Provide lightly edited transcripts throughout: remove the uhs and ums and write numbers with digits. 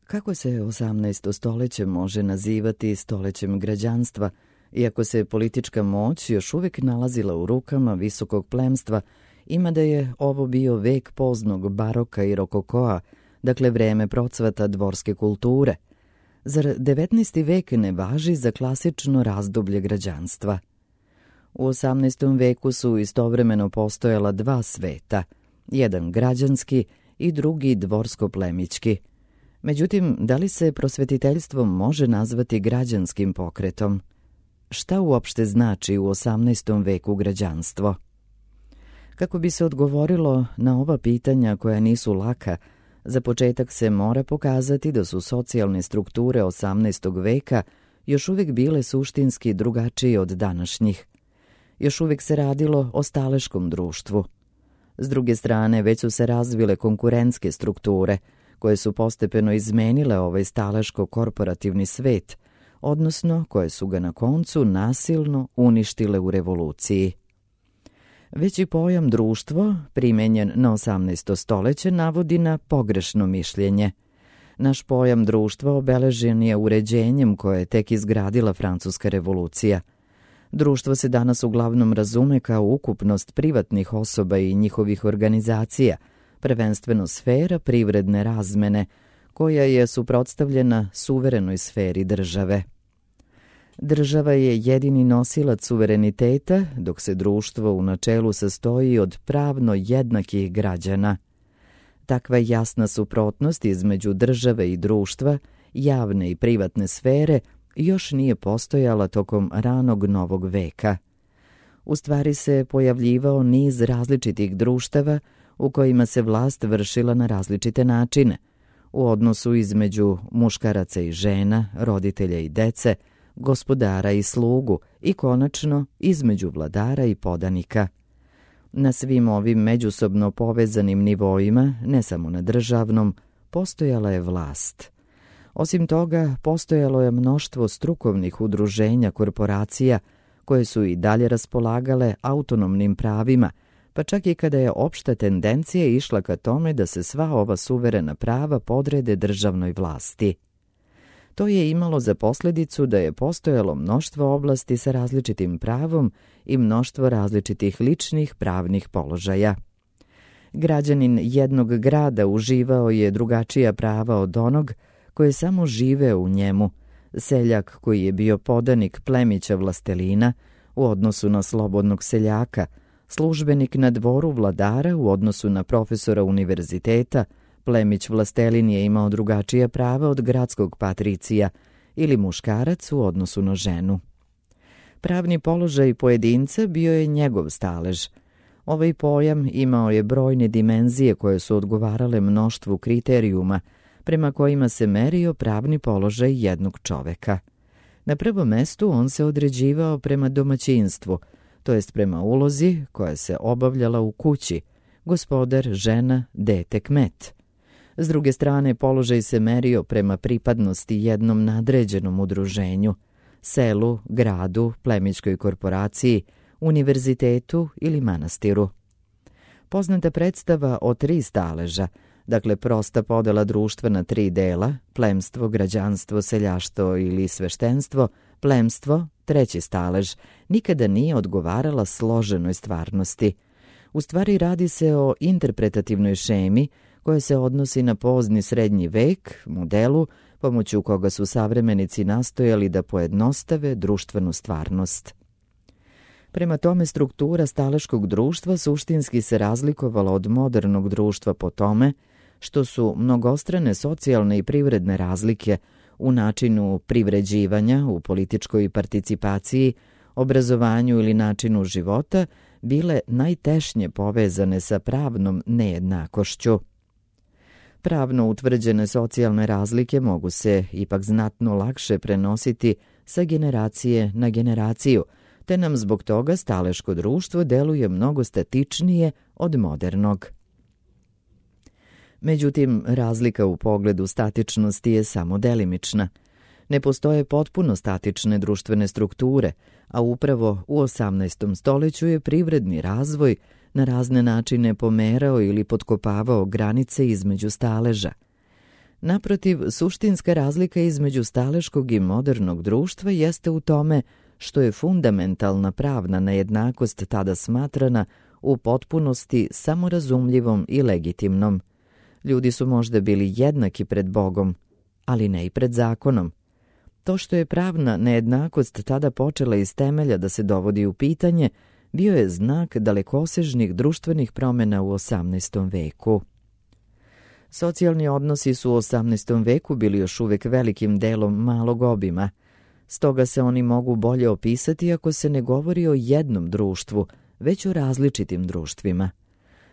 Kako se 18. stoljeće može nazivati stoljećem građanstva, iako se politička moć još uvijek nalazila u rukama visokog plemstva, ima da je ovo bio vek poznog baroka i rokokoa, dakle vreme procvata dvorske kulture. Zar 19. vek ne važi za klasično razdoblje građanstva? U 18. veku su istovremeno postojala dva sveta, jedan građanski i drugi dvorsko-plemićki. Međutim, da li se prosvetiteljstvo može nazvati građanskim pokretom? Šta uopšte znači u 18. veku građanstvo? Kako bi se odgovorilo na ova pitanja koja nisu laka, za početak se mora pokazati da su socijalne strukture 18. veka još uvijek bile suštinski drugačije od današnjih. Još uvijek se radilo o staleškom društvu. S druge strane, već su se razvile konkurentske strukture, koje su postepeno izmenile ovaj staleško-korporativni svet, odnosno koje su ga na koncu nasilno uništile u revoluciji. Već i pojam društvo, primenjen na 18. stoljeće, navodi na pogrešno mišljenje. Naš pojam društva obeležen je uređenjem koje je tek izgradila Francuska revolucija. Društvo se danas uglavnom razume kao ukupnost privatnih osoba i njihovih organizacija, prvenstveno sfera privredne razmene, koja je suprotstavljena suverenoj sferi države. Država je jedini nosilac suvereniteta, dok se društvo u načelu sastoji od pravno jednakih građana. Takva jasna suprotnost između države i društva, javne i privatne sfere, još nije postojala tokom ranog novog veka. U stvari se pojavljivao niz različitih društava u kojima se vlast vršila na različite načine, u odnosu između muškaraca i žena, roditelja i dece, gospodara i slugu i konačno između vladara i podanika. Na svim ovim međusobno povezanim nivoima, ne samo na državnom, postojala je vlast. Osim toga, postojalo je mnoštvo strukovnih udruženja korporacija koje su i dalje raspolagale autonomnim pravima, pa čak i kada je opšta tendencija išla ka tome da se sva ova suverena prava podrede državnoj vlasti. To je imalo za posljedicu da je postojalo mnoštvo oblasti sa različitim pravom i mnoštvo različitih ličnih pravnih položaja. Građanin jednog grada uživao je drugačija prava od onog koji je samo živeo u njemu, seljak koji je bio podanik plemića vlastelina u odnosu na slobodnog seljaka, službenik na dvoru vladara u odnosu na profesora univerziteta, plemić vlastelin je imao drugačija prava od gradskog patricija ili muškarac u odnosu na ženu. Pravni položaj pojedinca bio je njegov stalež. Ovaj pojam imao je brojne dimenzije koje su odgovarale mnoštvu kriterijuma prema kojima se merio pravni položaj jednog čoveka. Na prvom mestu on se određivao prema domaćinstvu, to jest prema ulozi koja se obavljala u kući, gospodar, žena, dete, kmet. S druge strane, položaj se merio prema pripadnosti jednom nadređenom udruženju, selu, gradu, plemićkoj korporaciji, univerzitetu ili manastiru. Poznata predstava o 3 staleža, dakle prosta podela društva na 3 dela, plemstvo, građanstvo, seljaštvo ili sveštenstvo, plemstvo, 3. stalež, nikada nije odgovarala složenoj stvarnosti. U stvari radi se o interpretativnoj šemi koja se odnosi na pozni srednji vek, modelu, pomoću koga su savremenici nastojali da pojednostave društvenu stvarnost. Prema tome, struktura staleškog društva suštinski se razlikovala od modernog društva po tome što su mnogostrane socijalne i privredne razlike u načinu privređivanja, u političkoj participaciji, obrazovanju ili načinu života bile najtešnje povezane sa pravnom nejednakošću. Pravno utvrđene socijalne razlike mogu se ipak znatno lakše prenositi sa generacije na generaciju, te nam zbog toga staleško društvo deluje mnogo statičnije od modernog. Međutim, razlika u pogledu statičnosti je samo delimična. Ne postoje potpuno statične društvene strukture, a upravo u 18. stoljeću je privredni razvoj na razne načine pomerao ili potkopavao granice između staleža. Naprotiv, suštinska razlika između staleškog i modernog društva jeste u tome što je fundamentalna pravna nejednakost tada smatrana u potpunosti samorazumljivom i legitimnom. Ljudi su možda bili jednaki pred Bogom, ali ne i pred zakonom. To što je pravna nejednakost tada počela iz temelja da se dovodi u pitanje, bio je znak dalekosežnih društvenih promjena u 18. veku. Socijalni odnosi su u 18. veku bili još uvijek velikim delom malog obima. Stoga se oni mogu bolje opisati ako se ne govori o jednom društvu, već o različitim društvima.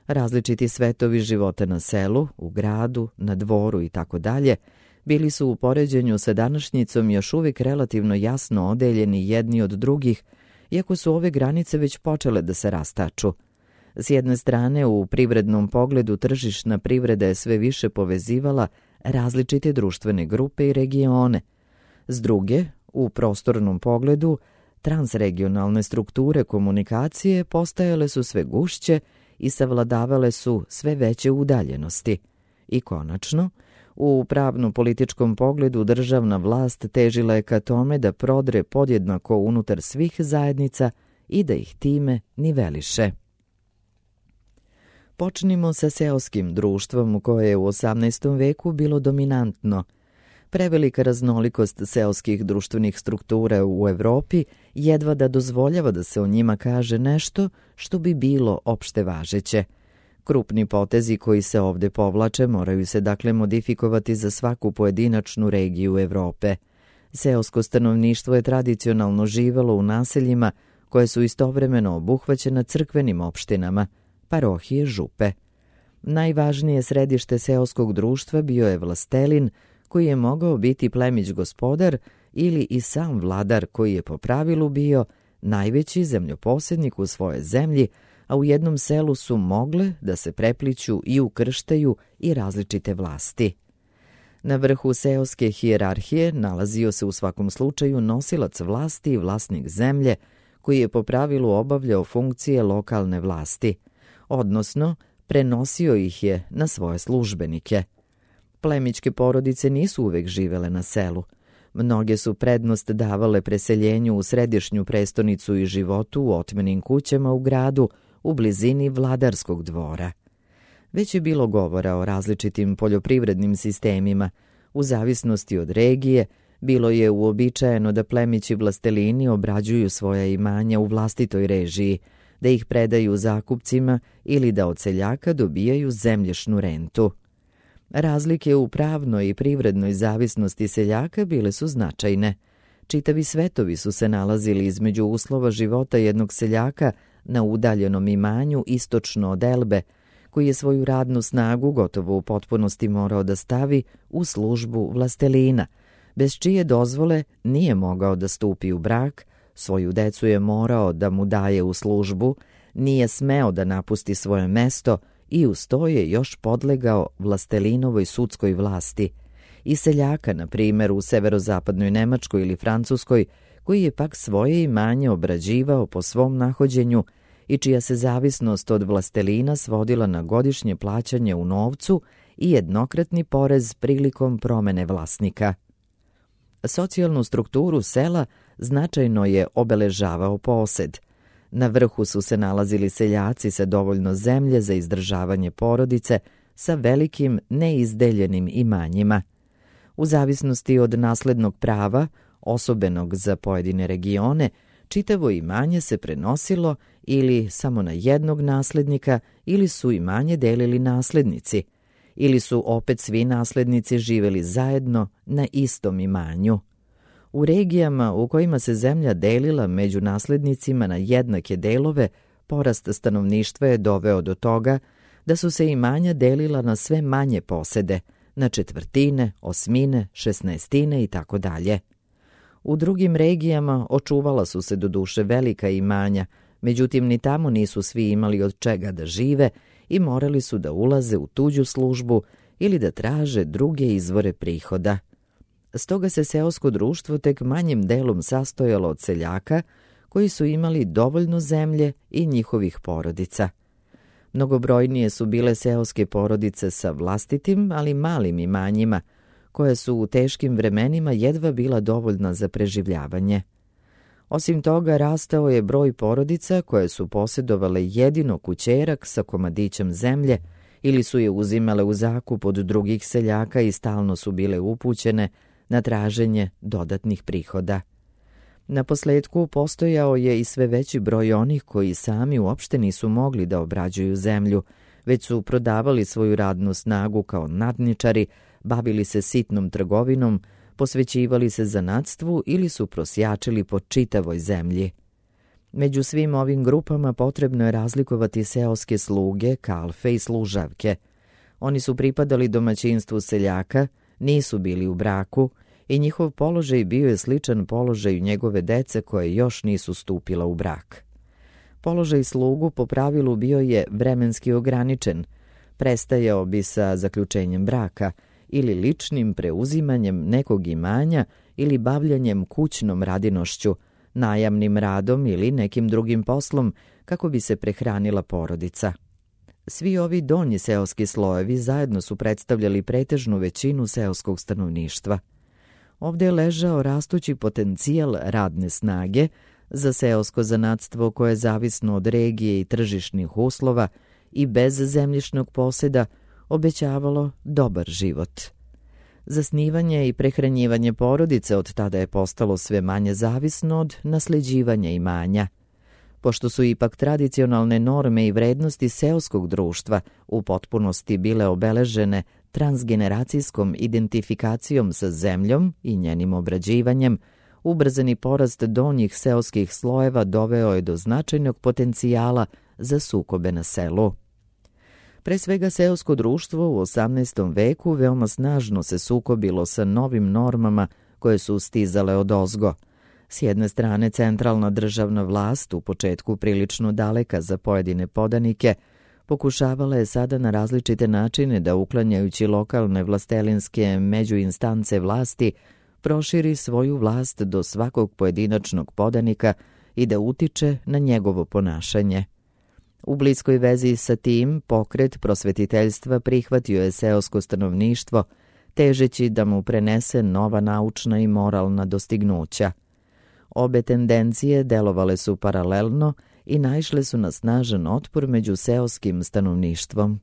Različiti svetovi života na selu, u gradu, na dvoru i tako dalje, bili su u poređenju sa današnjicom još uvijek relativno jasno odeljeni jedni od drugih, iako su ove granice već počele da se rastaču. S jedne strane, u privrednom pogledu tržišna privreda je sve više povezivala različite društvene grupe i regione. S druge, u prostornom pogledu, transregionalne strukture komunikacije postajale su sve gušće i savladavale su sve veće udaljenosti. I konačno, u pravno-političkom pogledu državna vlast težila je ka tome da prodre podjednako unutar svih zajednica i da ih time niveliše. Počnimo sa seoskim društvom koje je u 18. veku bilo dominantno. Prevelika raznolikost seoskih društvenih struktura u Evropi jedva da dozvoljava da se o njima kaže nešto što bi bilo opšte važeće. Krupni potezi koji se ovdje povlače moraju se dakle modifikovati za svaku pojedinačnu regiju Evrope. Seosko stanovništvo je tradicionalno živelo u naseljima koje su istovremeno obuhvaćena crkvenim opštinama, parohije, župe. Najvažnije središte seoskog društva bio je vlastelin, koji je mogao biti plemić gospodar ili i sam vladar koji je po pravilu bio najveći zemljoposjednik u svojoj zemlji, a u jednom selu su mogle da se prepliću i ukrštaju i različite vlasti. Na vrhu seoske hijerarhije nalazio se u svakom slučaju nosilac vlasti i vlasnik zemlje, koji je po pravilu obavljao funkcije lokalne vlasti, odnosno prenosio ih je na svoje službenike. Plemićke porodice nisu uvek živele na selu. Mnoge su prednost davale preseljenju u središnju prestonicu i životu u otmenim kućama u gradu, u blizini vladarskog dvora. Već je bilo govora o različitim poljoprivrednim sistemima. U zavisnosti od regije, bilo je uobičajeno da plemići vlastelini obrađuju svoja imanja u vlastitoj režiji, da ih predaju zakupcima ili da od seljaka dobijaju zemljišnu rentu. Razlike u pravnoj i privrednoj zavisnosti seljaka bile su značajne. Čitavi svetovi su se nalazili između uslova života jednog seljaka na udaljenom imanju istočno od Elbe, koji je svoju radnu snagu gotovo u potpunosti morao da stavi u službu vlastelina, bez čije dozvole nije mogao da stupi u brak, svoju decu je morao da mu daje u službu, nije smeo da napusti svoje mesto i uz to je još podlegao vlastelinovoj sudskoj vlasti. I seljaka, na primjer, u severozapadnoj Nemačkoj ili Francuskoj, koji je pak svoje imanje obrađivao po svom nahođenju i čija se zavisnost od vlastelina svodila na godišnje plaćanje u novcu i jednokratni porez prilikom promene vlasnika. Socijalnu strukturu sela značajno je obeležavao posed. Na vrhu su se nalazili seljaci sa dovoljno zemlje za izdržavanje porodice sa velikim neizdeljenim imanjima. U zavisnosti od naslednog prava, osobenog za pojedine regione, čitavo imanje se prenosilo ili samo na jednog naslednika ili su imanje delili naslednici, ili su opet svi naslednici živeli zajedno na istom imanju. U regijama u kojima se zemlja delila među naslednicima na jednake delove, porast stanovništva je doveo do toga da su se imanja delila na sve manje posede, na četvrtine, osmine, šesnaestine i tako dalje. U drugim regijama očuvala su se doduše velika imanja, međutim ni tamo nisu svi imali od čega da žive i morali su da ulaze u tuđu službu ili da traže druge izvore prihoda. Stoga se seosko društvo tek manjim delom sastojalo od seljaka koji su imali dovoljno zemlje i njihovih porodica. Mnogobrojnije su bile seoske porodice sa vlastitim, ali malim imanjima, koja su u teškim vremenima jedva bila dovoljna za preživljavanje. Osim toga, rastao je broj porodica koje su posjedovale jedino kućerak sa komadićem zemlje ili su je uzimale u zakup od drugih seljaka i stalno su bile upućene na traženje dodatnih prihoda. Naposletku postojao je i sve veći broj onih koji sami uopšte nisu mogli da obrađuju zemlju, već su prodavali svoju radnu snagu kao nadničari, bavili se sitnom trgovinom, posvećivali se zanatstvu ili su prosjačili po čitavoj zemlji. Među svim ovim grupama potrebno je razlikovati seoske sluge, kalfe i služavke. Oni su pripadali domaćinstvu seljaka, nisu bili u braku i njihov položaj bio je sličan položaju njegove dece koje još nisu stupila u brak. Položaj slugu po pravilu bio je vremenski ograničen, prestajao bi sa zaključenjem braka ili ličnim preuzimanjem nekog imanja ili bavljanjem kućnom radinošću, najamnim radom ili nekim drugim poslom kako bi se prehranila porodica. Svi ovi donji seoski slojevi zajedno su predstavljali pretežnu većinu seoskog stanovništva. Ovdje je ležao rastući potencijal radne snage za seosko zanatstvo koje je zavisno od regije i tržišnih uslova i bez zemljišnog posjeda obećavalo dobar život. Zasnivanje i prehranjivanje porodice od tada je postalo sve manje zavisno od nasljeđivanja imanja. Pošto su ipak tradicionalne norme i vrednosti seoskog društva u potpunosti bile obeležene transgeneracijskom identifikacijom sa zemljom i njenim obrađivanjem, ubrzani porast donjih seoskih slojeva doveo je do značajnog potencijala za sukobe na selu. Pre svega seosko društvo u 18. veku veoma snažno se sukobilo sa novim normama koje su stizale odozgo. S jedne strane, centralna državna vlast, u početku prilično daleka za pojedine podanike, pokušavala je sada na različite načine da, uklanjajući lokalne vlastelinske međuinstance vlasti, proširi svoju vlast do svakog pojedinačnog podanika i da utiče na njegovo ponašanje. U bliskoj vezi sa tim, pokret prosvetiteljstva prihvatio je seosko stanovništvo, težeći da mu prenese nova naučna i moralna dostignuća. Obe tendencije delovale su paralelno i naišle su na snažan otpor među seoskim stanovništvom.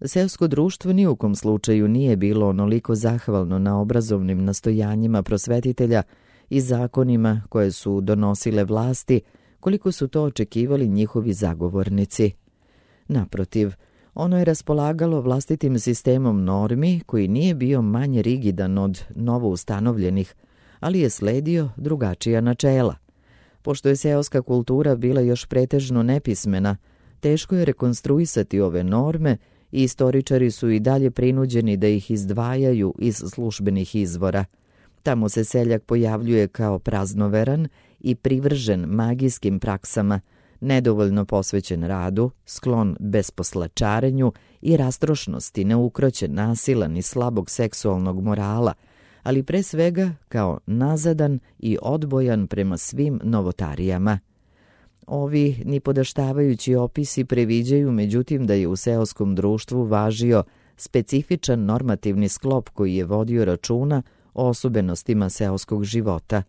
Seosko društvo ni u kom slučaju nije bilo onoliko zahvalno na obrazovnim nastojanjima prosvetitelja i zakonima koje su donosile vlasti, koliko su to očekivali njihovi zagovornici. Naprotiv, ono je raspolagalo vlastitim sistemom normi koji nije bio manje rigidan od novoustanovljenih, ali je sledio drugačija načela. Pošto je seoska kultura bila još pretežno nepismena, teško je rekonstruisati ove norme i istoričari su i dalje prinuđeni da ih izdvajaju iz službenih izvora. Tamo se seljak pojavljuje kao praznoveran i privržen magijskim praksama, nedovoljno posvećen radu, sklon besposlačarenju i rastrošnosti, neukroćen, nasilan i slabog seksualnog morala, ali pre svega kao nazadan i odbojan prema svim novotarijama. Ovi nipodaštavajući opisi previđaju međutim da je u seoskom društvu važio specifičan normativni sklop koji je vodio računa o osobenostima seoskog života.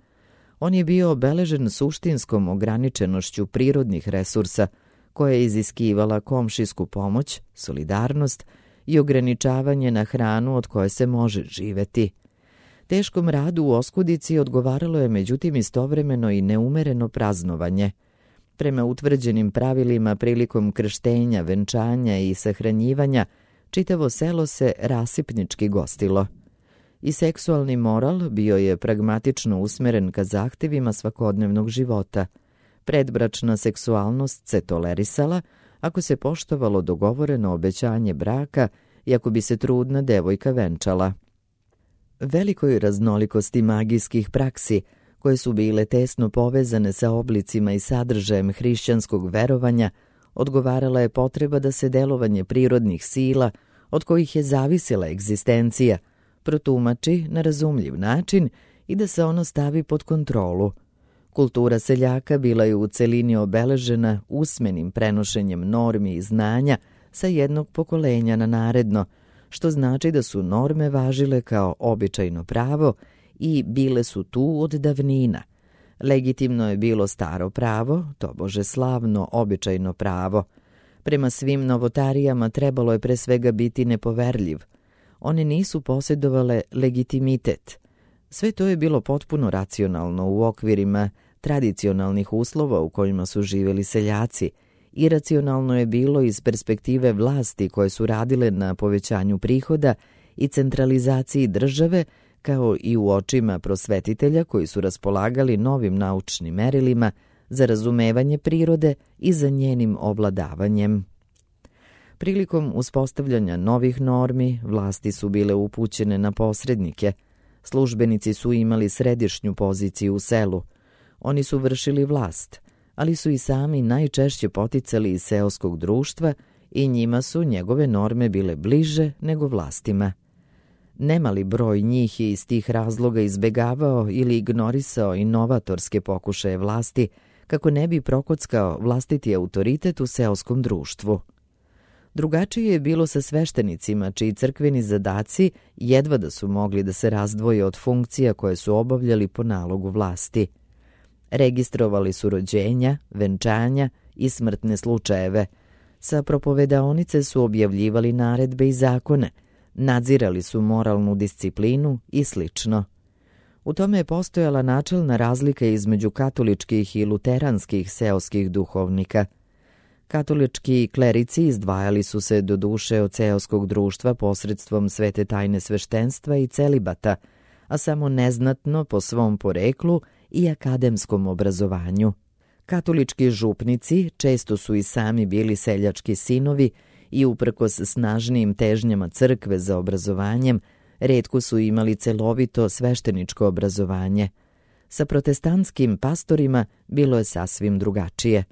On je bio obeležen suštinskom ograničenošću prirodnih resursa, koja je iziskivala komšijsku pomoć, solidarnost i ograničavanje na hranu od koje se može živeti. Teškom radu u oskudici odgovaralo je međutim istovremeno i neumereno praznovanje. Prema utvrđenim pravilima prilikom krštenja, venčanja i sahranjivanja, čitavo selo se rasipnički gostilo. I seksualni moral bio je pragmatično usmeren ka zahtevima svakodnevnog života. Predbračna seksualnost se tolerisala ako se poštovalo dogovoreno obećanje braka i ako bi se trudna devojka venčala. Velikoj raznolikosti magijskih praksi, koje su bile tesno povezane sa oblicima i sadržajem hrišćanskog verovanja, odgovarala je potreba da se delovanje prirodnih sila, od kojih je zavisila egzistencija, protumači na razumljiv način i da se ono stavi pod kontrolu. Kultura seljaka bila je u celini obeležena usmenim prenošenjem normi i znanja sa jednog pokolenja na naredno, što znači da su norme važile kao običajno pravo i bile su tu od davnina. Legitimno je bilo staro pravo, tobože slavno običajno pravo. Prema svim novotarijama trebalo je pre svega biti nepoverljiv. One nisu posjedovale legitimitet. Sve to je bilo potpuno racionalno u okvirima tradicionalnih uslova u kojima su živjeli seljaci. Iracionalno je bilo iz perspektive vlasti koje su radile na povećanju prihoda i centralizaciji države, kao i u očima prosvetitelja koji su raspolagali novim naučnim merilima za razumevanje prirode i za njenim ovladavanjem. Prilikom uspostavljanja novih normi, vlasti su bile upućene na posrednike. Službenici su imali središnju poziciju u selu. Oni su vršili vlast, ali su i sami najčešće poticali iz seoskog društva i njima su njegove norme bile bliže nego vlastima. Nemali broj njih je iz tih razloga izbegavao ili ignorisao inovatorske pokušaje vlasti kako ne bi prokockao vlastiti autoritet u seoskom društvu. Drugačije je bilo sa sveštenicima, čiji crkveni zadaci jedva da su mogli da se razdvoje od funkcija koje su obavljali po nalogu vlasti. Registrovali su rođenja, venčanja i smrtne slučajeve. Sa propovedaonice su objavljivali naredbe i zakone, nadzirali su moralnu disciplinu i slično. U tome je postojala načelna razlika između katoličkih i luteranskih seoskih duhovnika. Katolički klerici izdvajali su se do duše od seoskog društva posredstvom svete tajne sveštenstva i celibata, a samo neznatno po svom poreklu i akademskom obrazovanju. Katolički župnici često su i sami bili seljački sinovi i uprkos snažnijim težnjama crkve za obrazovanjem, retko su imali celovito svešteničko obrazovanje. Sa protestantskim pastorima bilo je sasvim drugačije.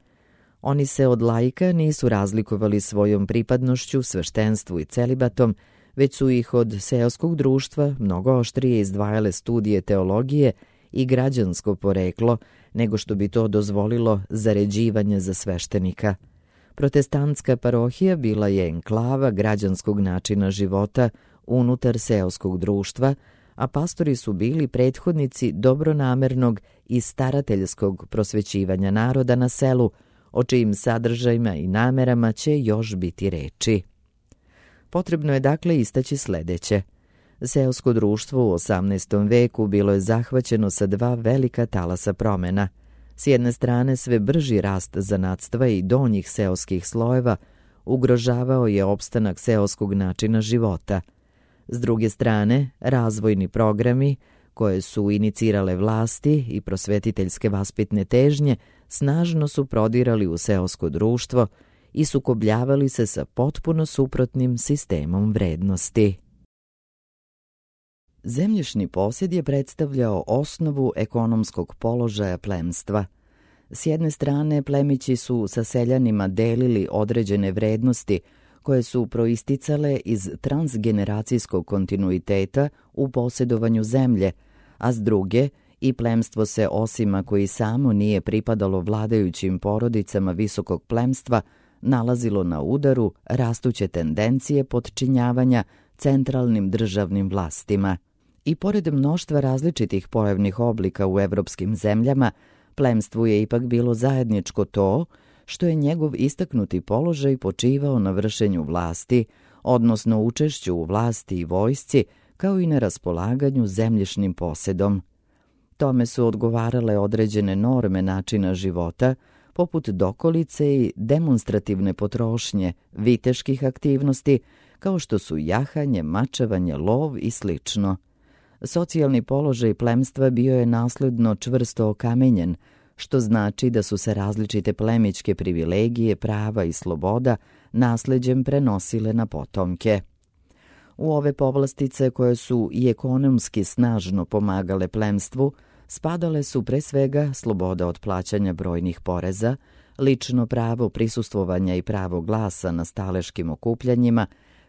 Oni se od laika nisu razlikovali svojom pripadnošću, sveštenstvu i celibatom, već su ih od seoskog društva mnogo oštrije izdvajale studije teologije i građansko poreklo, nego što bi to dozvolilo zaređivanje za sveštenika. Protestantska parohija bila je enklava građanskog načina života unutar seoskog društva, a pastori su bili prethodnici dobronamernog i starateljskog prosvećivanja naroda na selu, o čijim sadržajima i namerama će još biti reči. Potrebno je dakle istaći sledeće. Seosko društvo u 18. veku bilo je zahvaćeno sa dva velika talasa promena. S jedne strane sve brži rast zanatstva i donjih seoskih slojeva ugrožavao je opstanak seoskog načina života. S druge strane, razvojni programi koje su inicirale vlasti i prosvetiteljske vaspitne težnje snažno su prodirali u seosko društvo i sukobljavali se sa potpuno suprotnim sistemom vrednosti. Zemljišni posjed je predstavljao osnovu ekonomskog položaja plemstva. S jedne strane, plemići su sa seljanima delili određene vrednosti koje su proisticale iz transgeneracijskog kontinuiteta u posjedovanju zemlje, a s druge, i plemstvo se, osim ako i samo nije pripadalo vladajućim porodicama visokog plemstva, nalazilo na udaru rastuće tendencije potčinjavanja centralnim državnim vlastima. I pored mnoštva različitih pojavnih oblika u evropskim zemljama, plemstvu je ipak bilo zajedničko to što je njegov istaknuti položaj počivao na vršenju vlasti, odnosno učešću u vlasti i vojsci, kao i na raspolaganju zemljišnim posjedom. Tome su odgovarale određene norme načina života, poput dokolice i demonstrativne potrošnje, viteških aktivnosti, kao što su jahanje, mačevanje, lov i slično. Socijalni položaj plemstva bio je nasledno čvrsto okamenjen, što znači da su se različite plemićke privilegije, prava i sloboda nasleđem prenosile na potomke. U ove povlastice koje su i ekonomski snažno pomagale plemstvu, spadale su pre svega sloboda od plaćanja brojnih poreza, lično pravo prisustvovanja i pravo glasa na staleškim okupljanjima,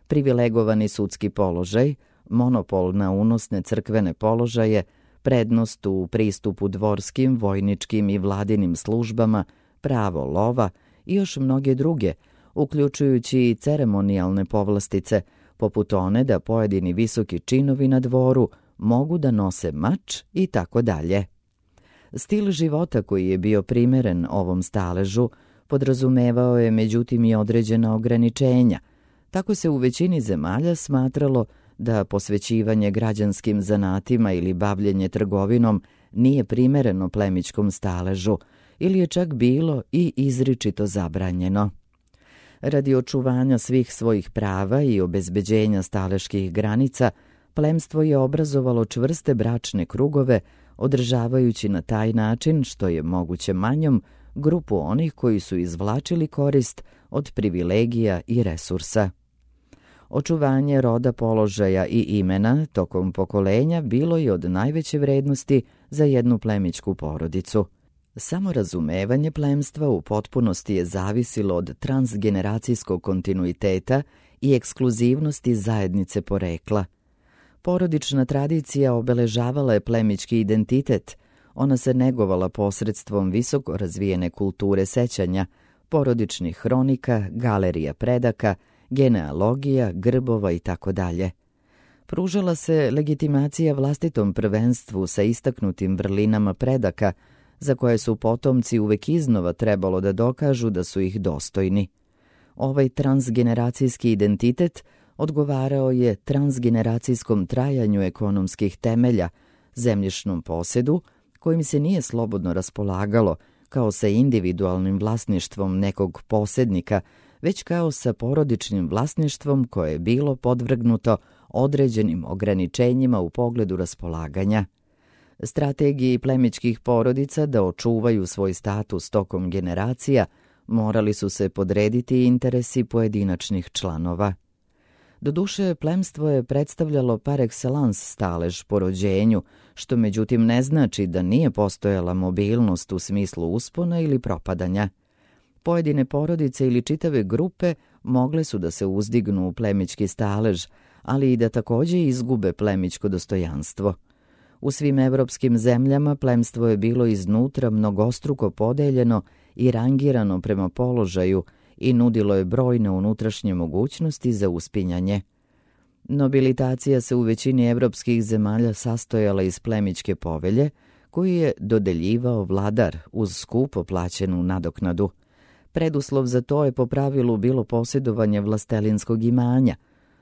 privilegovani sudski položaj, monopol na unosne crkvene položaje, prednost u pristupu dvorskim, vojničkim i vladinim službama, pravo lova i još mnoge druge, uključujući i ceremonijalne povlastice, poput one da pojedini visoki činovi na dvoru mogu da nose mač i tako dalje. Stil života koji je bio primeren ovom staležu podrazumevao je međutim i određena ograničenja. Tako se u većini zemalja smatralo da posvećivanje građanskim zanatima ili bavljenje trgovinom nije primereno plemićkom staležu ili je čak bilo i izričito zabranjeno. Radi očuvanja svih svojih prava i obezbeđenja staleških granica, plemstvo je obrazovalo čvrste bračne krugove, održavajući na taj način, što je moguće manjom, grupu onih koji su izvlačili korist od privilegija i resursa. Očuvanje roda, položaja i imena tokom pokolenja bilo je od najveće vrednosti za jednu plemićku porodicu. Samo razumevanje plemstva u potpunosti je zavisilo od transgeneracijskog kontinuiteta i ekskluzivnosti zajednice porekla. Porodična tradicija obeležavala je plemićki identitet. Ona se negovala posredstvom visoko razvijene kulture sećanja, porodičnih hronika, galerija predaka, genealogija, grbova itd. Pružala se legitimacija vlastitom prvenstvu sa istaknutim vrlinama predaka, za koje su potomci uvek iznova trebalo da dokažu da su ih dostojni. Ovaj transgeneracijski identitet odgovarao je transgeneracijskom trajanju ekonomskih temelja, zemljišnom posedu, kojim se nije slobodno raspolagalo kao sa individualnim vlasništvom nekog posednika, već kao sa porodičnim vlasništvom koje je bilo podvrgnuto određenim ograničenjima u pogledu raspolaganja. Strategiji plemićkih porodica da očuvaju svoj status tokom generacija morali su se podrediti interesi pojedinačnih članova. Doduše, plemstvo je predstavljalo par excellence stalež po rođenju, što međutim ne znači da nije postojala mobilnost u smislu uspona ili propadanja. Pojedine porodice ili čitave grupe mogle su da se uzdignu u plemićki stalež, ali i da takođe izgube plemićko dostojanstvo. U svim evropskim zemljama plemstvo je bilo iznutra mnogostruko podeljeno i rangirano prema položaju i nudilo je brojne unutrašnje mogućnosti za uspinjanje. Nobilitacija se u većini evropskih zemalja sastojala iz plemićke povelje, koju je dodeljivao vladar uz skupo plaćenu nadoknadu. Preduslov za to je po pravilu bilo posjedovanje vlastelinskog imanja.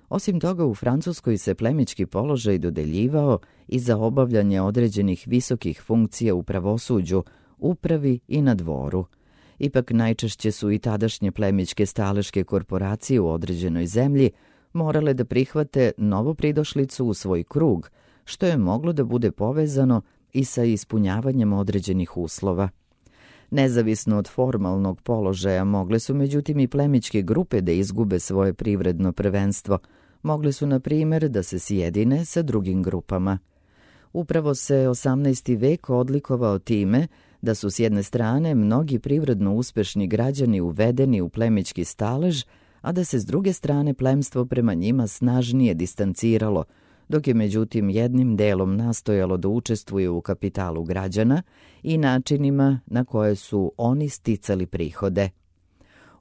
Osim toga, u Francuskoj se plemićki položaj dodeljivao i za obavljanje određenih visokih funkcija u pravosuđu, upravi i na dvoru. Ipak najčešće su i tadašnje plemićke staleške korporacije u određenoj zemlji morale da prihvate novopridošlicu u svoj krug, što je moglo da bude povezano i sa ispunjavanjem određenih uslova. Nezavisno od formalnog položaja mogle su međutim i plemićke grupe da izgube svoje privredno prvenstvo. Mogle su, na primjer, da se sjedine sa drugim grupama. Upravo se 18. vek odlikovao time da su s jedne strane mnogi privredno uspešni građani uvedeni u plemićki stalež, a da se s druge strane plemstvo prema njima snažnije distanciralo, dok je međutim jednim delom nastojalo da učestvuje u kapitalu građana i načinima na koje su oni sticali prihode.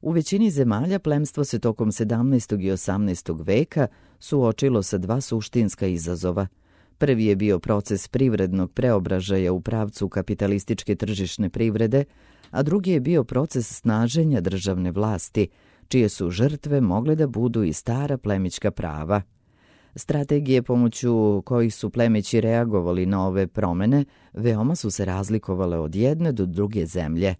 U većini zemalja plemstvo se tokom 17. i 18. veka suočilo sa dva suštinska izazova. Prvi je bio proces privrednog preobražaja u pravcu kapitalističke tržišne privrede, a drugi je bio proces snaženja državne vlasti, čije su žrtve mogle da budu i stara plemićka prava. Strategije pomoću kojih su plemići reagovali na ove promene veoma su se razlikovale od jedne do druge zemlje.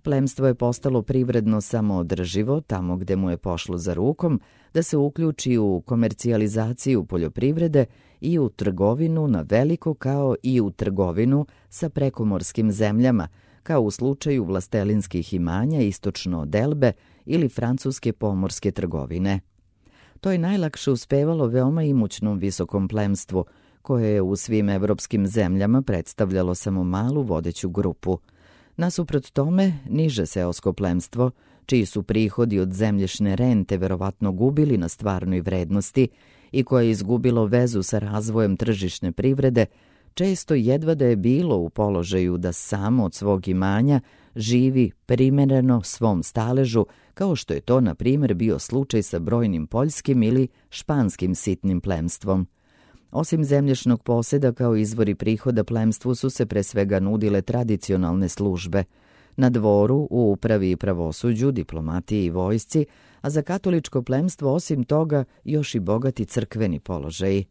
Plemstvo je postalo privredno samoodrživo tamo gde mu je pošlo za rukom da se uključi u komercijalizaciju poljoprivrede i u trgovinu na veliko kao i u trgovinu sa prekomorskim zemljama, kao u slučaju vlastelinskih imanja istočno od Elbe ili francuske pomorske trgovine. To je najlakše uspevalo veoma imućnom visokom plemstvu, koje je u svim evropskim zemljama predstavljalo samo malu vodeću grupu. Nasuprot tome, niže seosko plemstvo, čiji su prihodi od zemljišne rente verovatno gubili na stvarnoj vrednosti i koje je izgubilo vezu sa razvojem tržišne privrede, često jedva da je bilo u položaju da samo od svog imanja živi primereno svom staležu kao što je to, na primjer, bio slučaj sa brojnim poljskim ili španskim sitnim plemstvom. Osim zemljišnog posjeda kao izvori prihoda plemstvu su se pre svega nudile tradicionalne službe. Na dvoru, u upravi i pravosuđu, diplomatiji i vojsci, a za katoličko plemstvo osim toga još i bogati crkveni položaji.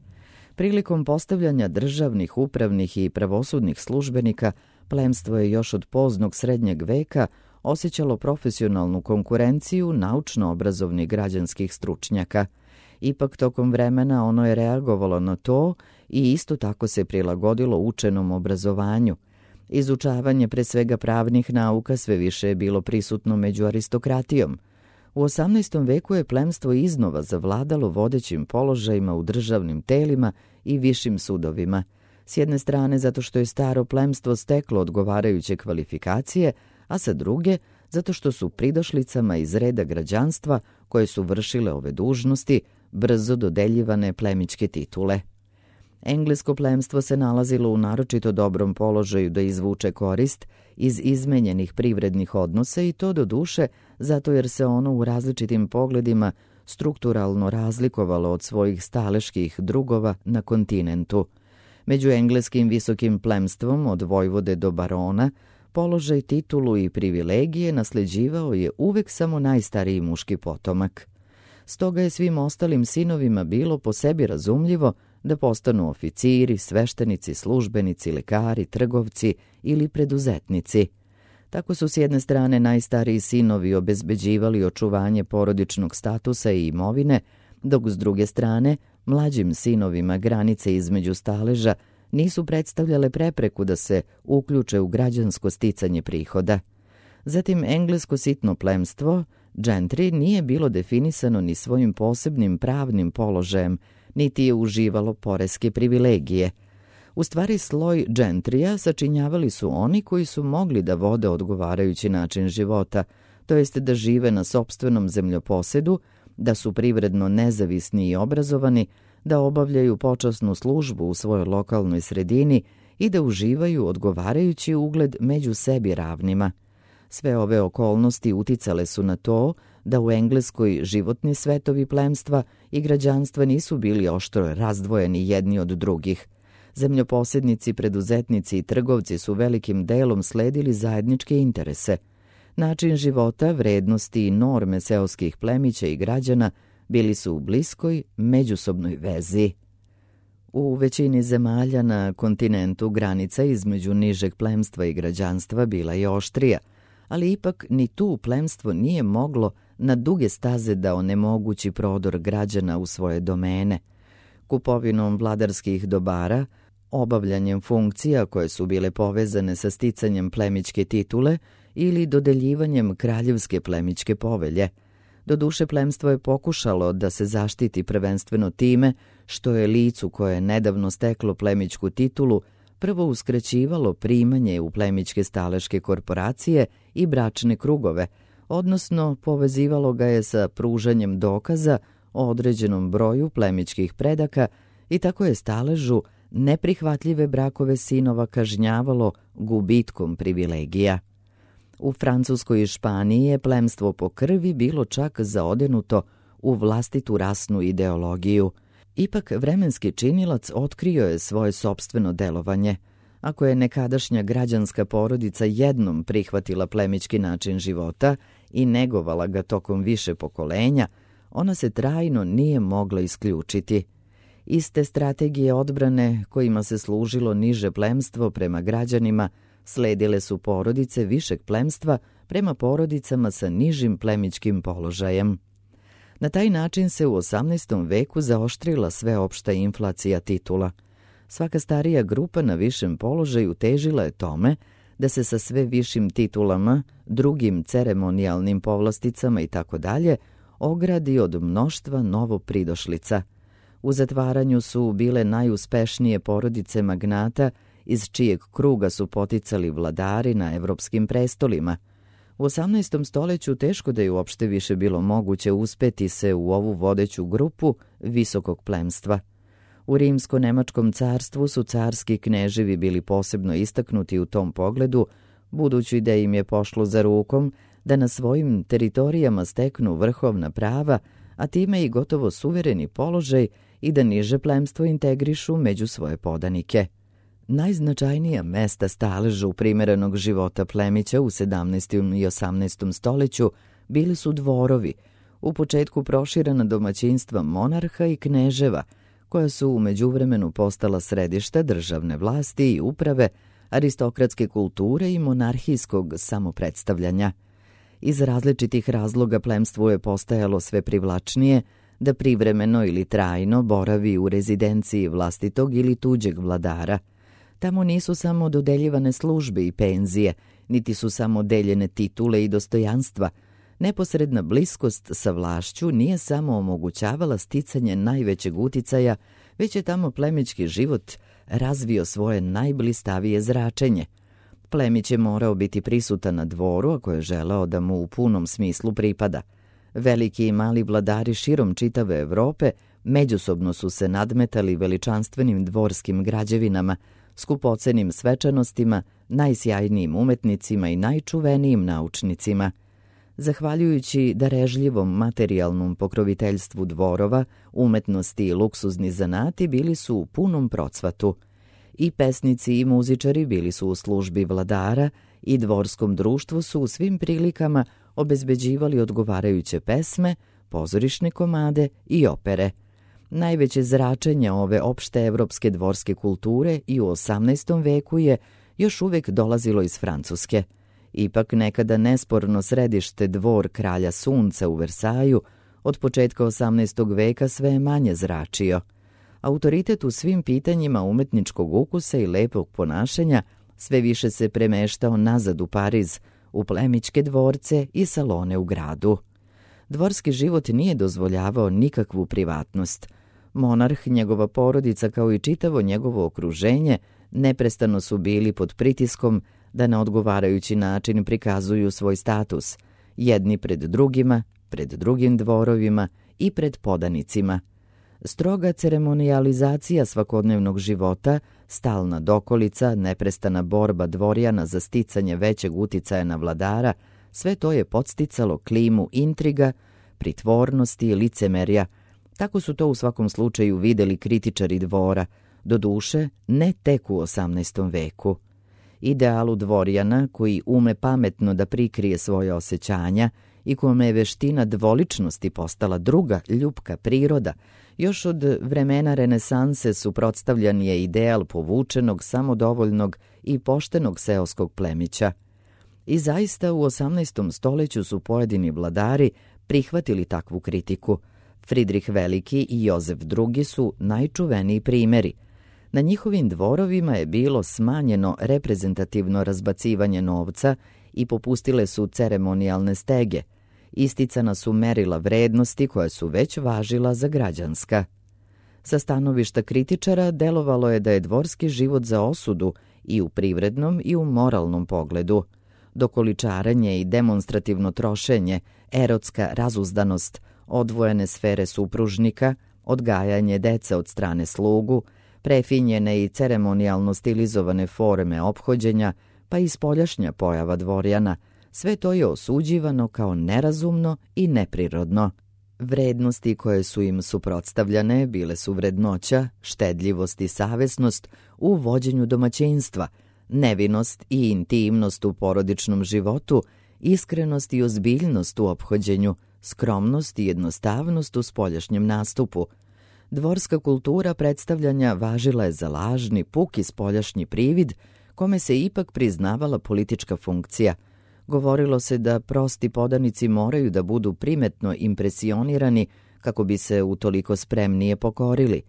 Prilikom postavljanja državnih, upravnih i pravosudnih službenika, plemstvo je još od poznog srednjeg veka osjećalo profesionalnu konkurenciju naučno-obrazovnih građanskih stručnjaka. Ipak tokom vremena ono je reagovalo na to i isto tako se prilagodilo učenom obrazovanju. Izučavanje pre svega pravnih nauka sve više je bilo prisutno među aristokratijom. U 18. veku je plemstvo iznova zavladalo vodećim položajima u državnim telima i višim sudovima. S jedne strane zato što je staro plemstvo steklo odgovarajuće kvalifikacije, a sa druge zato što su pridošlicama iz reda građanstva koje su vršile ove dužnosti brzo dodeljivane plemićke titule. Englesko plemstvo se nalazilo u naročito dobrom položaju da izvuče korist iz izmenjenih privrednih odnosa i to do duše zato jer se ono u različitim pogledima strukturalno razlikovalo od svojih staleških drugova na kontinentu. Među engleskim visokim plemstvom od vojvode do barona položaj, titulu i privilegije nasleđivao je uvek samo najstariji muški potomak. Stoga je svim ostalim sinovima bilo po sebi razumljivo da postanu oficiri, sveštenici, službenici, lekari, trgovci ili preduzetnici. Tako su s jedne strane najstariji sinovi obezbeđivali očuvanje porodičnog statusa i imovine, dok s druge strane mlađim sinovima granice između staleža nisu predstavljale prepreku da se uključe u građansko sticanje prihoda. Zatim englesko sitno plemstvo, gentry, nije bilo definisano ni svojim posebnim pravnim položajem, niti je uživalo poreske privilegije. U stvari sloj gentrija sačinjavali su oni koji su mogli da vode odgovarajući način života, to jest da žive na sopstvenom zemljoposedu, da su privredno nezavisni i obrazovani, da obavljaju počasnu službu u svojoj lokalnoj sredini i da uživaju odgovarajući ugled među sebi ravnima. Sve ove okolnosti uticale su na to da u Engleskoj životni svetovi plemstva i građanstva nisu bili oštro razdvojeni jedni od drugih. Zemljoposednici, preduzetnici i trgovci su velikim delom sledili zajedničke interese. Način života, vrednosti i norme seoskih plemića i građana bili su u bliskoj međusobnoj vezi. U većini zemalja na kontinentu granica između nižeg plemstva i građanstva bila je oštrija, ali ipak ni tu plemstvo nije moglo na duge staze da onemogući prodor građana u svoje domene. Kupovinom vladarskih dobara, obavljanjem funkcija koje su bile povezane sa sticanjem plemićke titule ili dodeljivanjem kraljevske plemićke povelje. Doduše, plemstvo je pokušalo da se zaštiti prvenstveno time što je licu koje je nedavno steklo plemićku titulu prvo uskraćivalo primanje u plemićke staleške korporacije i bračne krugove, odnosno povezivalo ga je sa pružanjem dokaza o određenom broju plemićkih predaka i tako je staležu neprihvatljive brakove sinova kažnjavalo gubitkom privilegija. U Francuskoj i Španiji je plemstvo po krvi bilo čak zaodenuto u vlastitu rasnu ideologiju. Ipak vremenski činilac otkrio je svoje sopstveno delovanje. Ako je nekadašnja građanska porodica jednom prihvatila plemićki način života i negovala ga tokom više pokolenja, ona se trajno nije mogla isključiti. Iste strategije odbrane kojima se služilo niže plemstvo prema građanima sledile su porodice višeg plemstva prema porodicama sa nižim plemićkim položajem. Na taj način se u 18. veku zaoštrila sveopšta inflacija titula. Svaka starija grupa na višem položaju težila je tome da se sa sve višim titulama, drugim ceremonijalnim povlasticama itd. Ogradi od mnoštva novopridošlica. U zatvaranju su bile najuspešnije porodice magnata iz čijeg kruga su poticali vladari na evropskim prestolima. U 18. stoljeću teško da je uopšte više bilo moguće uspeti se u ovu vodeću grupu visokog plemstva. U Rimsko-Nemačkom carstvu su carski kneževi bili posebno istaknuti u tom pogledu, budući da im je pošlo za rukom da na svojim teritorijama steknu vrhovna prava, a time i gotovo suvereni položaj i da niže plemstvo integrišu među svoje podanike. Najznačajnija mesta staleža u primerenog života plemića u 17. i 18. stoljeću bili su dvorovi, u početku proširena domaćinstva monarha i kneževa, koja su u međuvremenu postala središta državne vlasti i uprave, aristokratske kulture i monarhijskog samopredstavljanja. Iz različitih razloga plemstvu je postajalo sve privlačnije da privremeno ili trajno boravi u rezidenciji vlastitog ili tuđeg vladara. Tamo nisu samo dodeljivane službe i penzije, niti su samo deljene titule i dostojanstva. Neposredna bliskost sa vlašću nije samo omogućavala sticanje najvećeg uticaja, već je tamo plemićki život razvio svoje najblistavije zračenje. Plemić je morao biti prisutan na dvoru ako je želeo da mu u punom smislu pripada. Veliki i mali vladari širom čitave Evrope međusobno su se nadmetali veličanstvenim dvorskim građevinama, skupocenim svečanostima, najsjajnijim umetnicima i najčuvenijim naučnicima. Zahvaljujući darežljivom materijalnom pokroviteljstvu dvorova, umetnosti i luksuzni zanati bili su u punom procvatu. I pesnici i muzičari bili su u službi vladara i dvorskom društvu su u svim prilikama obezbeđivali odgovarajuće pesme, pozorišne komade i opere. Najveće zračenje ove opšte evropske dvorske kulture i u 18. veku je još uvijek dolazilo iz Francuske. Ipak nekada nesporno središte dvor kralja sunca u Versaju od početka 18. veka sve je manje zračio. Autoritet u svim pitanjima umetničkog ukusa i lepog ponašanja sve više se premeštao nazad u Pariz, u plemićke dvorce i salone u gradu. Dvorski život nije dozvoljavao nikakvu privatnost. Monarh, njegova porodica kao i čitavo njegovo okruženje neprestano su bili pod pritiskom da na odgovarajući način prikazuju svoj status, jedni pred drugima, pred drugim dvorovima i pred podanicima. Stroga ceremonijalizacija svakodnevnog života, stalna dokolica, neprestana borba dvorjana za sticanje većeg uticaja na vladara, sve to je podsticalo klimu intriga, pritvornosti i licemerja. Tako su to u svakom slučaju videli kritičari dvora, doduše ne tek u 18. veku. Idealu dvorjana, koji ume pametno da prikrije svoje osjećanja i kome je veština dvoličnosti postala druga ljubka priroda, još od vremena renesanse suprotstavljan je ideal povučenog, samodovoljnog i poštenog seoskog plemića. I zaista u 18. stoljeću su pojedini vladari prihvatili takvu kritiku. Fridrih Veliki i Jozef II su najčuveniji primjeri. Na njihovim dvorovima je bilo smanjeno reprezentativno razbacivanje novca i popustile su ceremonijalne stege. Isticana su merila vrednosti koja su već važila za građanska. Sa stanovišta kritičara delovalo je da je dvorski život za osudu i u privrednom i u moralnom pogledu. Dokoličaranje i demonstrativno trošenje, erotska razuzdanost, odvojene sfere supružnika, odgajanje dece od strane slugu, prefinjene i ceremonijalno stilizovane forme ophođenja, pa i spoljašnja pojava dvorjana, sve to je osuđivano kao nerazumno i neprirodno. Vrednosti koje su im suprotstavljane bile su vrednoća, štedljivost i savesnost u vođenju domaćinstva, nevinost i intimnost u porodičnom životu, iskrenost i ozbiljnost u ophođenju, skromnost i jednostavnost u spoljašnjem nastupu. Dvorska kultura predstavljanja važila je za lažni, puki spoljašnji privid, kome se ipak priznavala politička funkcija. Govorilo se da prosti podanici moraju da budu primetno impresionirani kako bi se utoliko spremnije pokorili.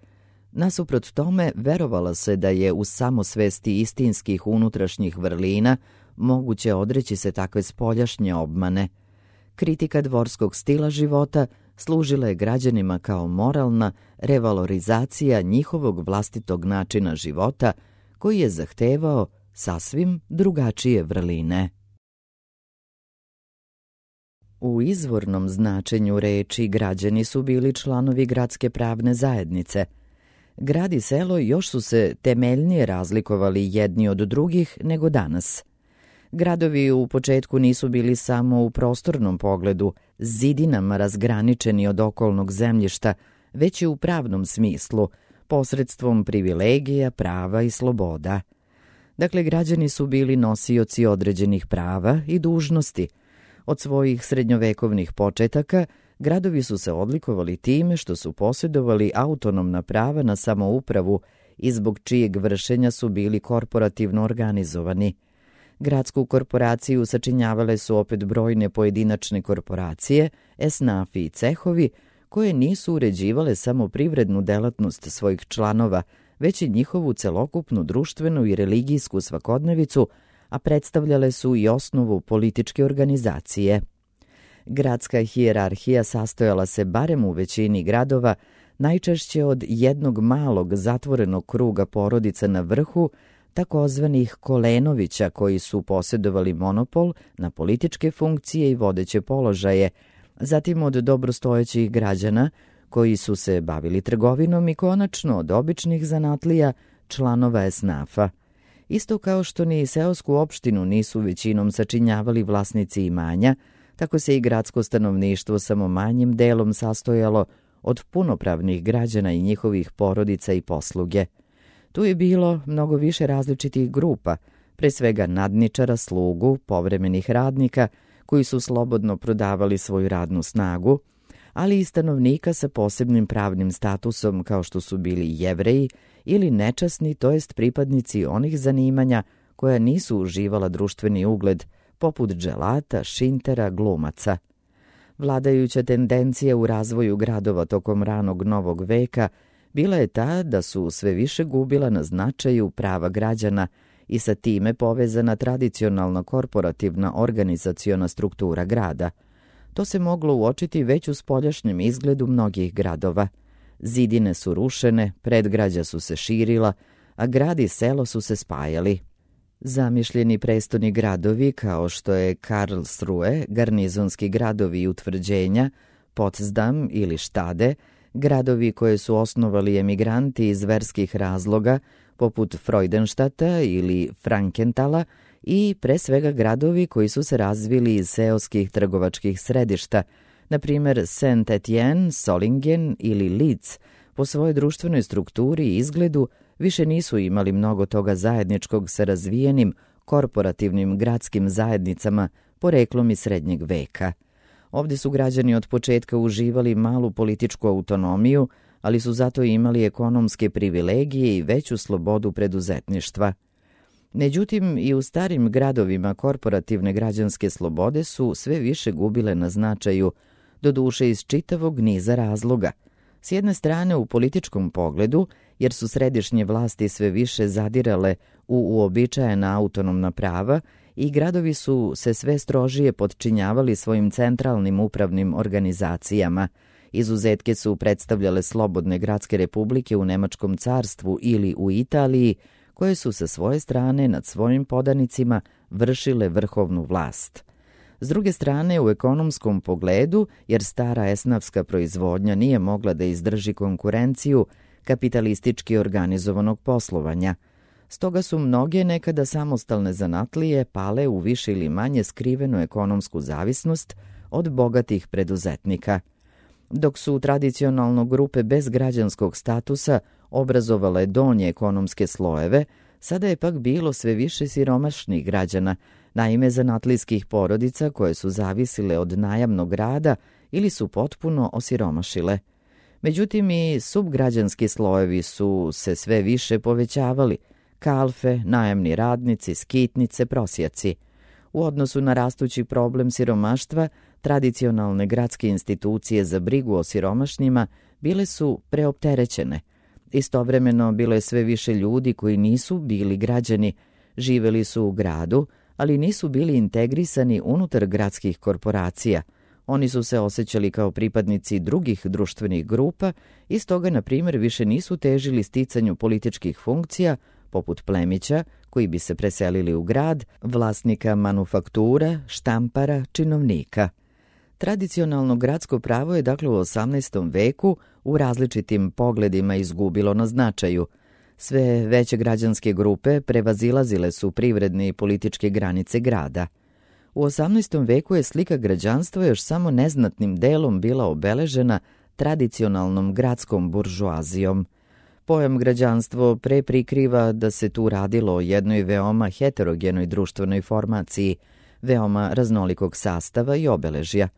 Nasuprot tome, verovalo se da je u samosvesti istinskih unutrašnjih vrlina moguće odreći se takve spoljašnje obmane. Kritika dvorskog stila života služila je građanima kao moralna revalorizacija njihovog vlastitog načina života, koji je zahtevao sasvim drugačije vrline. U izvornom značenju reči građani su bili članovi gradske pravne zajednice. Grad i selo još su se temeljnije razlikovali jedni od drugih nego danas. Gradovi u početku nisu bili samo u prostornom pogledu zidinama razgraničeni od okolnog zemljišta, već i u pravnom smislu, posredstvom privilegija, prava i sloboda. Dakle, građani su bili nosioci određenih prava i dužnosti. Od svojih srednjovekovnih početaka gradovi su se odlikovali time što su posjedovali autonomna prava na samoupravu i zbog čijeg vršenja su bili korporativno organizovani. Gradsku korporaciju sačinjavale su opet brojne pojedinačne korporacije, esnafi i cehovi, koje nisu uređivale samo privrednu delatnost svojih članova, već i njihovu celokupnu društvenu i religijsku svakodnevicu, a predstavljale su i osnovu političke organizacije. Gradska hijerarhija sastojala se barem u većini gradova najčešće od jednog malog zatvorenog kruga porodica na vrhu, takozvanih Kolenovića, koji su posjedovali monopol na političke funkcije i vodeće položaje, zatim od dobrostojećih građana koji su se bavili trgovinom i konačno od običnih zanatlija, članova esnafa. Isto kao što ni seosku opštinu nisu većinom sačinjavali vlasnici imanja, tako se i gradsko stanovništvo samo manjim delom sastojalo od punopravnih građana i njihovih porodica i posluge. Tu je bilo mnogo više različitih grupa, pre svega nadničara, slugu, povremenih radnika koji su slobodno prodavali svoju radnu snagu, ali i stanovnika sa posebnim pravnim statusom kao što su bili Jevreji ili nečasni, to jest pripadnici onih zanimanja koja nisu uživala društveni ugled, poput dželata, šintera, glumaca. Vladajuća tendencija u razvoju gradova tokom ranog novog veka bila je ta da su sve više gubila na značaju prava građana i sa time povezana tradicionalna korporativna organizaciona struktura grada. To se moglo uočiti već u spoljašnjem izgledu mnogih gradova. Zidine su rušene, predgrađa su se širila, a grad i selo su se spajali. Zamišljeni prestoni gradovi kao što je Karlsruhe, garnizonski gradovi i utvrđenja, Potsdam ili Štade, gradovi koje su osnovali emigranti iz verskih razloga, poput Freudenstadta ili Frankenthala, i pre svega gradovi koji su se razvili iz seoskih trgovačkih središta, na primjer Saint-Étienne, Solingen ili Leeds, po svojoj društvenoj strukturi i izgledu više nisu imali mnogo toga zajedničkog sa razvijenim korporativnim gradskim zajednicama poreklom iz srednjeg veka. Ovdje su građani od početka uživali malu političku autonomiju, ali su zato imali ekonomske privilegije i veću slobodu preduzetništva. Međutim, i u starim gradovima korporativne građanske slobode su sve više gubile na značaju, doduše iz čitavog niza razloga. S jedne strane u političkom pogledu, jer su središnje vlasti sve više zadirale u uobičajena autonomna prava i gradovi su se sve strožije podčinjavali svojim centralnim upravnim organizacijama. Izuzetke su predstavljale slobodne gradske republike u Nemačkom carstvu ili u Italiji, koje su sa svoje strane nad svojim podanicima vršile vrhovnu vlast. S druge strane, u ekonomskom pogledu, jer stara esnafska proizvodnja nije mogla da izdrži konkurenciju kapitalistički organizovanog poslovanja. Stoga su mnoge nekada samostalne zanatlije pale u više ili manje skrivenu ekonomsku zavisnost od bogatih preduzetnika. Dok su tradicionalno grupe bez građanskog statusa obrazovale donje ekonomske slojeve, sada je pak bilo sve više siromašnih građana, naime zanatlijskih porodica koje su zavisile od najamnog rada ili su potpuno osiromašile. Međutim, i subgrađanski slojevi su se sve više povećavali, kalfe, najamni radnici, skitnice, prosjaci. U odnosu na rastući problem siromaštva, tradicionalne gradske institucije za brigu o siromašnjima bile su preopterećene. Istovremeno bilo je sve više ljudi koji nisu bili građani, živeli su u gradu, ali nisu bili integrisani unutar gradskih korporacija. Oni su se osjećali kao pripadnici drugih društvenih grupa i stoga, na primjer, više nisu težili sticanju političkih funkcija, poput plemića koji bi se preselili u grad, vlasnika manufaktura, štampara, činovnika. Tradicionalno gradsko pravo je dakle u 18. veku u različitim pogledima izgubilo na značaju. Sve veće građanske grupe prevazilazile su privredne i političke granice grada. U 18. veku je slika građanstva još samo neznatnim delom bila obeležena tradicionalnom gradskom buržoazijom. Pojam građanstvo pre prikriva da se tu radilo o jednoj veoma heterogenoj društvenoj formaciji, veoma raznolikog sastava i obeležja.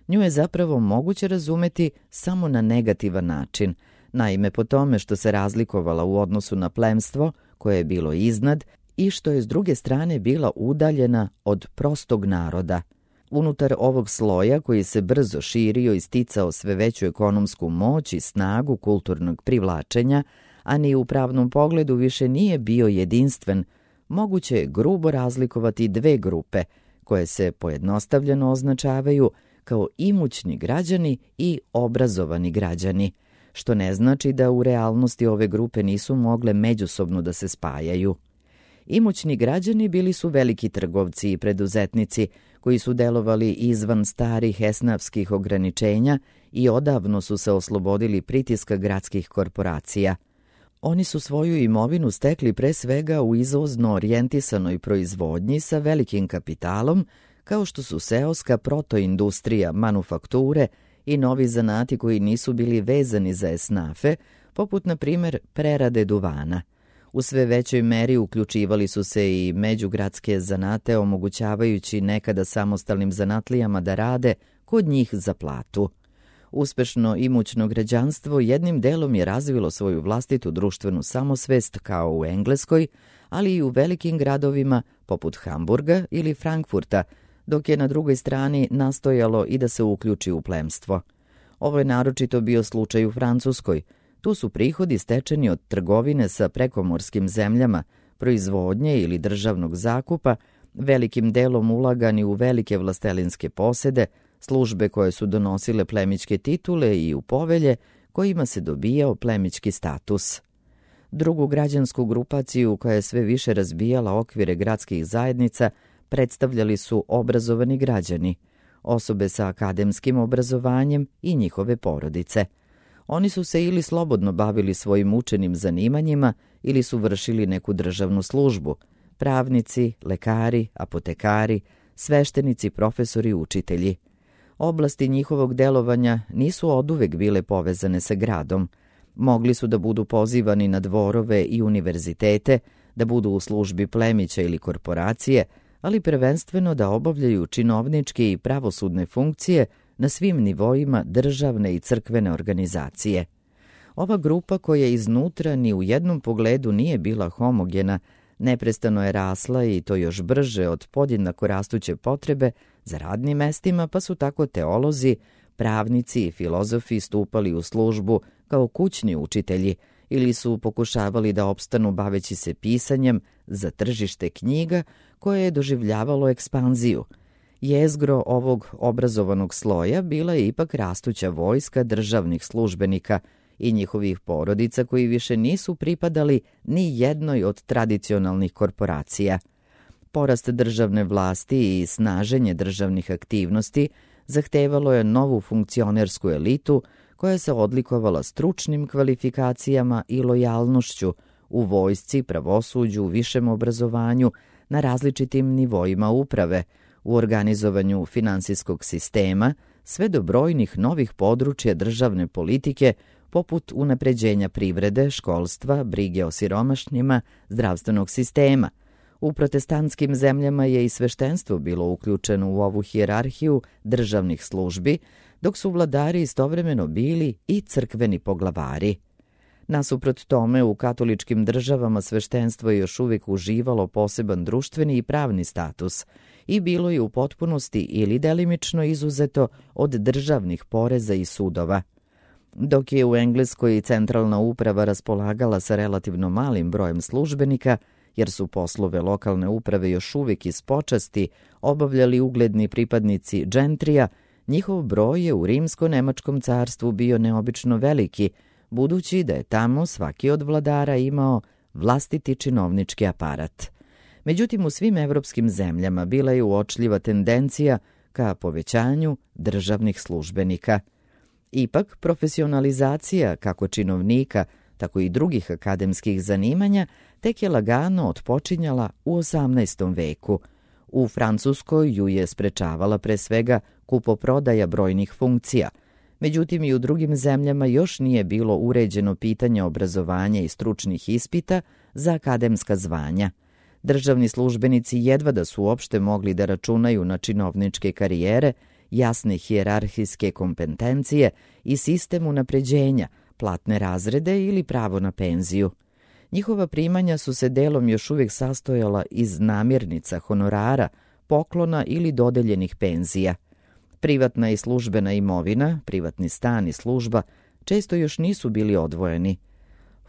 Nju je zapravo moguće razumeti samo na negativan način, naime po tome što se razlikovala u odnosu na plemstvo koje je bilo iznad i što je s druge strane bila udaljena od prostog naroda. Unutar ovog sloja koji se brzo širio i sticao sve veću ekonomsku moć i snagu kulturnog privlačenja, a ni u pravnom pogledu više nije bio jedinstven, moguće je grubo razlikovati dve grupe koje se pojednostavljeno označavaju kao imućni građani i obrazovani građani, što ne znači da u realnosti ove grupe nisu mogle međusobno da se spajaju. Imućni građani bili su veliki trgovci i preduzetnici koji su delovali izvan starih esnafskih ograničenja i odavno su se oslobodili pritiska gradskih korporacija. Oni su svoju imovinu stekli pre svega u izvozno orijentisanoj proizvodnji sa velikim kapitalom, kao što su seoska protoindustrija, manufakture i novi zanati koji nisu bili vezani za esnafe, poput na primjer prerade duvana. U sve većoj meri uključivali su se i međugradske zanate, omogućavajući nekada samostalnim zanatlijama da rade kod njih za platu. Uspešno imućno građanstvo jednim delom je razvilo svoju vlastitu društvenu samosvest kao u Engleskoj, ali i u velikim gradovima poput Hamburga ili Frankfurta, dok je na drugoj strani nastojalo i da se uključi u plemstvo. Ovo je naročito bio slučaj u Francuskoj. Tu su prihodi stečeni od trgovine sa prekomorskim zemljama, proizvodnje ili državnog zakupa, velikim delom ulagani u velike vlastelinske posede, službe koje su donosile plemićke titule i u povelje kojima se dobijao plemićki status. Drugu građansku grupaciju koja je sve više razbijala okvire gradskih zajednica predstavljali su obrazovani građani, osobe sa akademskim obrazovanjem i njihove porodice. Oni su se ili slobodno bavili svojim učenim zanimanjima ili su vršili neku državnu službu, pravnici, lekari, apotekari, sveštenici, profesori, učitelji. Oblasti njihovog delovanja nisu oduvek bile povezane sa gradom. Mogli su da budu pozivani na dvorove i univerzitete, da budu u službi plemića ili korporacije, ali prvenstveno da obavljaju činovničke i pravosudne funkcije na svim nivoima državne i crkvene organizacije. Ova grupa koja iznutra ni u jednom pogledu nije bila homogena, neprestano je rasla i to još brže od podjednako rastuće potrebe za radnim mestima, pa su tako teolozi, pravnici i filozofi stupali u službu kao kućni učitelji ili su pokušavali da opstanu baveći se pisanjem za tržište knjiga koje je doživljavalo ekspanziju. Jezgro ovog obrazovanog sloja bila je ipak rastuća vojska državnih službenika i njihovih porodica koji više nisu pripadali ni jednoj od tradicionalnih korporacija. Porast državne vlasti i snaženje državnih aktivnosti zahtevalo je novu funkcionersku elitu koja se odlikovala stručnim kvalifikacijama i lojalnošću u vojsci, pravosuđu, višem obrazovanju, na različitim nivoima uprave, u organizovanju finansijskog sistema, sve do brojnih novih područja državne politike, poput unapređenja privrede, školstva, brige o siromašnjima, zdravstvenog sistema. U protestantskim zemljama je i sveštenstvo bilo uključeno u ovu hijerarhiju državnih službi, dok su vladari istovremeno bili i crkveni poglavari. Nasuprot tome, u katoličkim državama sveštenstvo je još uvijek uživalo poseban društveni i pravni status i bilo je u potpunosti ili delimično izuzeto od državnih poreza i sudova. Dok je u Engleskoj centralna uprava raspolagala sa relativno malim brojem službenika, jer su poslove lokalne uprave još uvijek iz počasti obavljali ugledni pripadnici džentrija, njihov broj je u Rimsko-Nemačkom carstvu bio neobično veliki, budući da je tamo svaki od vladara imao vlastiti činovnički aparat. Međutim, u svim evropskim zemljama bila je uočljiva tendencija ka povećanju državnih službenika. Ipak, profesionalizacija kako činovnika, tako i drugih akademskih zanimanja, tek je lagano otpočinjala u 18. veku. U Francuskoj ju je sprečavala pre svega kupoprodaja brojnih funkcija. Međutim, i u drugim zemljama još nije bilo uređeno pitanje obrazovanja i stručnih ispita za akademska zvanja. Državni službenici jedva da su uopšte mogli da računaju na činovničke karijere, jasne hijerarhijske kompetencije i sistem unapređenja, platne razrede ili pravo na penziju. Njihova primanja su se delom još uvijek sastojala iz namirnica, honorara, poklona ili dodeljenih penzija. Privatna i službena imovina, privatni stan i služba često još nisu bili odvojeni.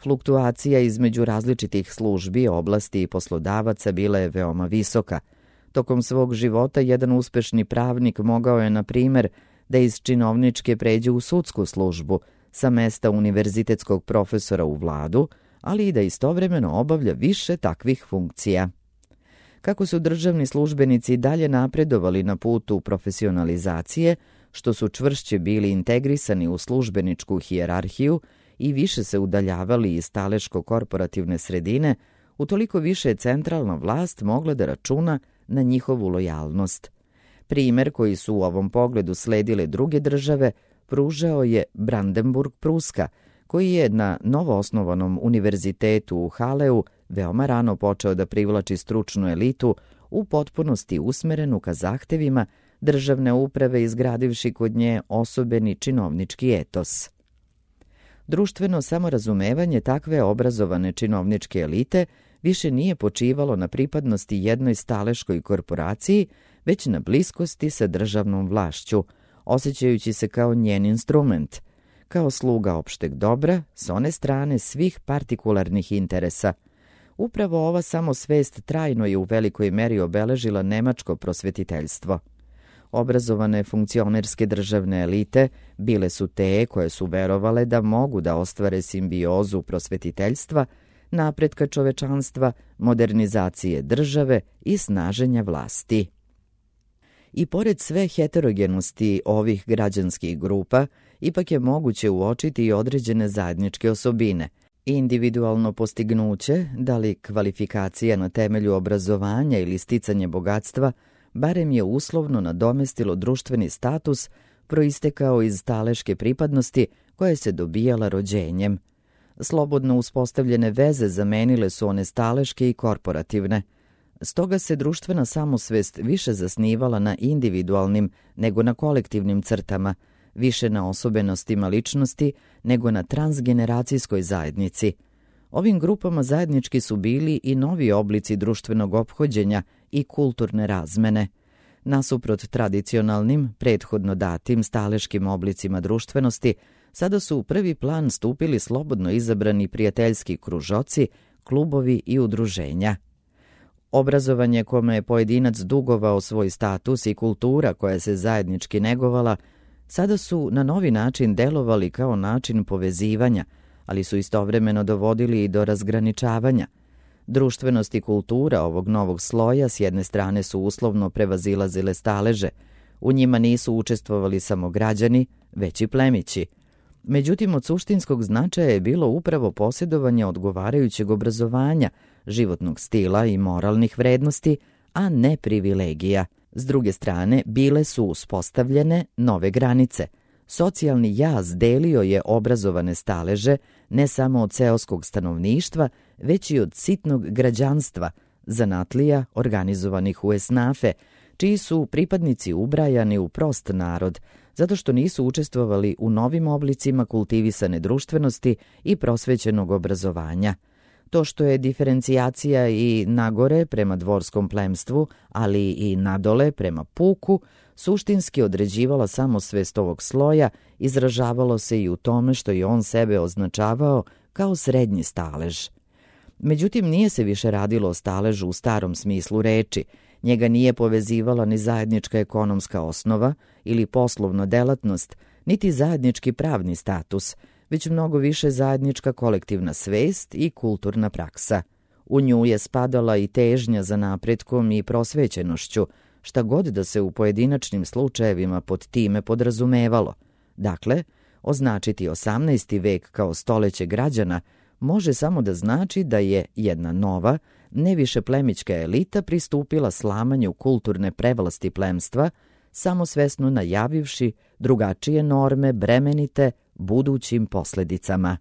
Fluktuacija između različitih službi, oblasti i poslodavaca bila je veoma visoka. Tokom svog života jedan uspešni pravnik mogao je, na primer, da iz činovničke pređe u sudsku službu, sa mesta univerzitetskog profesora u vladu, ali i da istovremeno obavlja više takvih funkcija. Kako su državni službenici dalje napredovali na putu profesionalizacije, što su čvršće bili integrisani u službeničku hijerarhiju i više se udaljavali iz staleško-korporativne sredine, utoliko više je centralna vlast mogla da računa na njihovu lojalnost. Primer koji su u ovom pogledu sledile druge države pružao je Brandenburg-Pruska, koji je na novoosnovanom univerzitetu u Haleu veoma rano počeo da privlači stručnu elitu u potpunosti usmerenu ka zahtevima državne uprave, izgradivši kod nje osobeni činovnički etos. Društveno samorazumevanje takve obrazovane činovničke elite više nije počivalo na pripadnosti jednoj staleškoj korporaciji, već na bliskosti sa državnom vlašću, osjećajući se kao njen instrument, kao sluga opšteg dobra s one strane svih partikularnih interesa. Upravo ova samosvest trajno je u velikoj meri obeležila nemačko prosvetiteljstvo. Obrazovane funkcionerske državne elite bile su te koje su verovale da mogu da ostvare simbiozu prosvetiteljstva, napretka čovečanstva, modernizacije države i snaženja vlasti. I pored sve heterogenosti ovih građanskih grupa, ipak je moguće uočiti i određene zajedničke osobine. Individualno postignuće, da li kvalifikacija na temelju obrazovanja ili sticanje bogatstva, barem je uslovno nadomestilo društveni status proistekao iz staleške pripadnosti koja se dobijala rođenjem. Slobodno uspostavljene veze zamenile su one staleške i korporativne. Stoga se društvena samosvest više zasnivala na individualnim nego na kolektivnim crtama, više na osobenostima ličnosti nego na transgeneracijskoj zajednici. Ovim grupama zajednički su bili i novi oblici društvenog ophođenja i kulturne razmene. Nasuprot tradicionalnim, prethodno datim staleškim oblicima društvenosti, sada su u prvi plan stupili slobodno izabrani prijateljski kružoci, klubovi i udruženja. Obrazovanje kome je pojedinac dugovao svoj status i kultura koja se zajednički negovala, sada su na novi način delovali kao način povezivanja, ali su istovremeno dovodili i do razgraničavanja. Društvenost i kultura ovog novog sloja s jedne strane su uslovno prevazilazile staleže. U njima nisu učestvovali samo građani, već i plemići. Međutim, od suštinskog značaja je bilo upravo posjedovanje odgovarajućeg obrazovanja, životnog stila i moralnih vrednosti, a ne privilegija. S druge strane, bile su uspostavljene nove granice. Socijalni jaz delio je obrazovane staleže ne samo od seoskog stanovništva, već i od sitnog građanstva, zanatlija organizovanih u esnafe, čiji su pripadnici ubrajani u prost narod, zato što nisu učestvovali u novim oblicima kultivisane društvenosti i prosvećenog obrazovanja. To što je diferencijacija i nagore prema dvorskom plemstvu, ali i nadole prema puku, suštinski određivala samosvest ovog sloja, izražavalo se i u tome što je on sebe označavao kao srednji stalež. Međutim, nije se više radilo o staležu u starom smislu reči. Njega nije povezivala ni zajednička ekonomska osnova ili poslovna delatnost, niti zajednički pravni status, već mnogo više zajednička kolektivna svest i kulturna praksa. U nju je spadala i težnja za napretkom i prosvećenošću, šta god da se u pojedinačnim slučajevima pod time podrazumevalo. Dakle, označiti 18. vek kao stoleće građana može samo da znači da je jedna nova, ne više plemićka elita pristupila slamanju kulturne prevlasti plemstva, samosvesno najavivši drugačije norme bremenite budućim posledicama.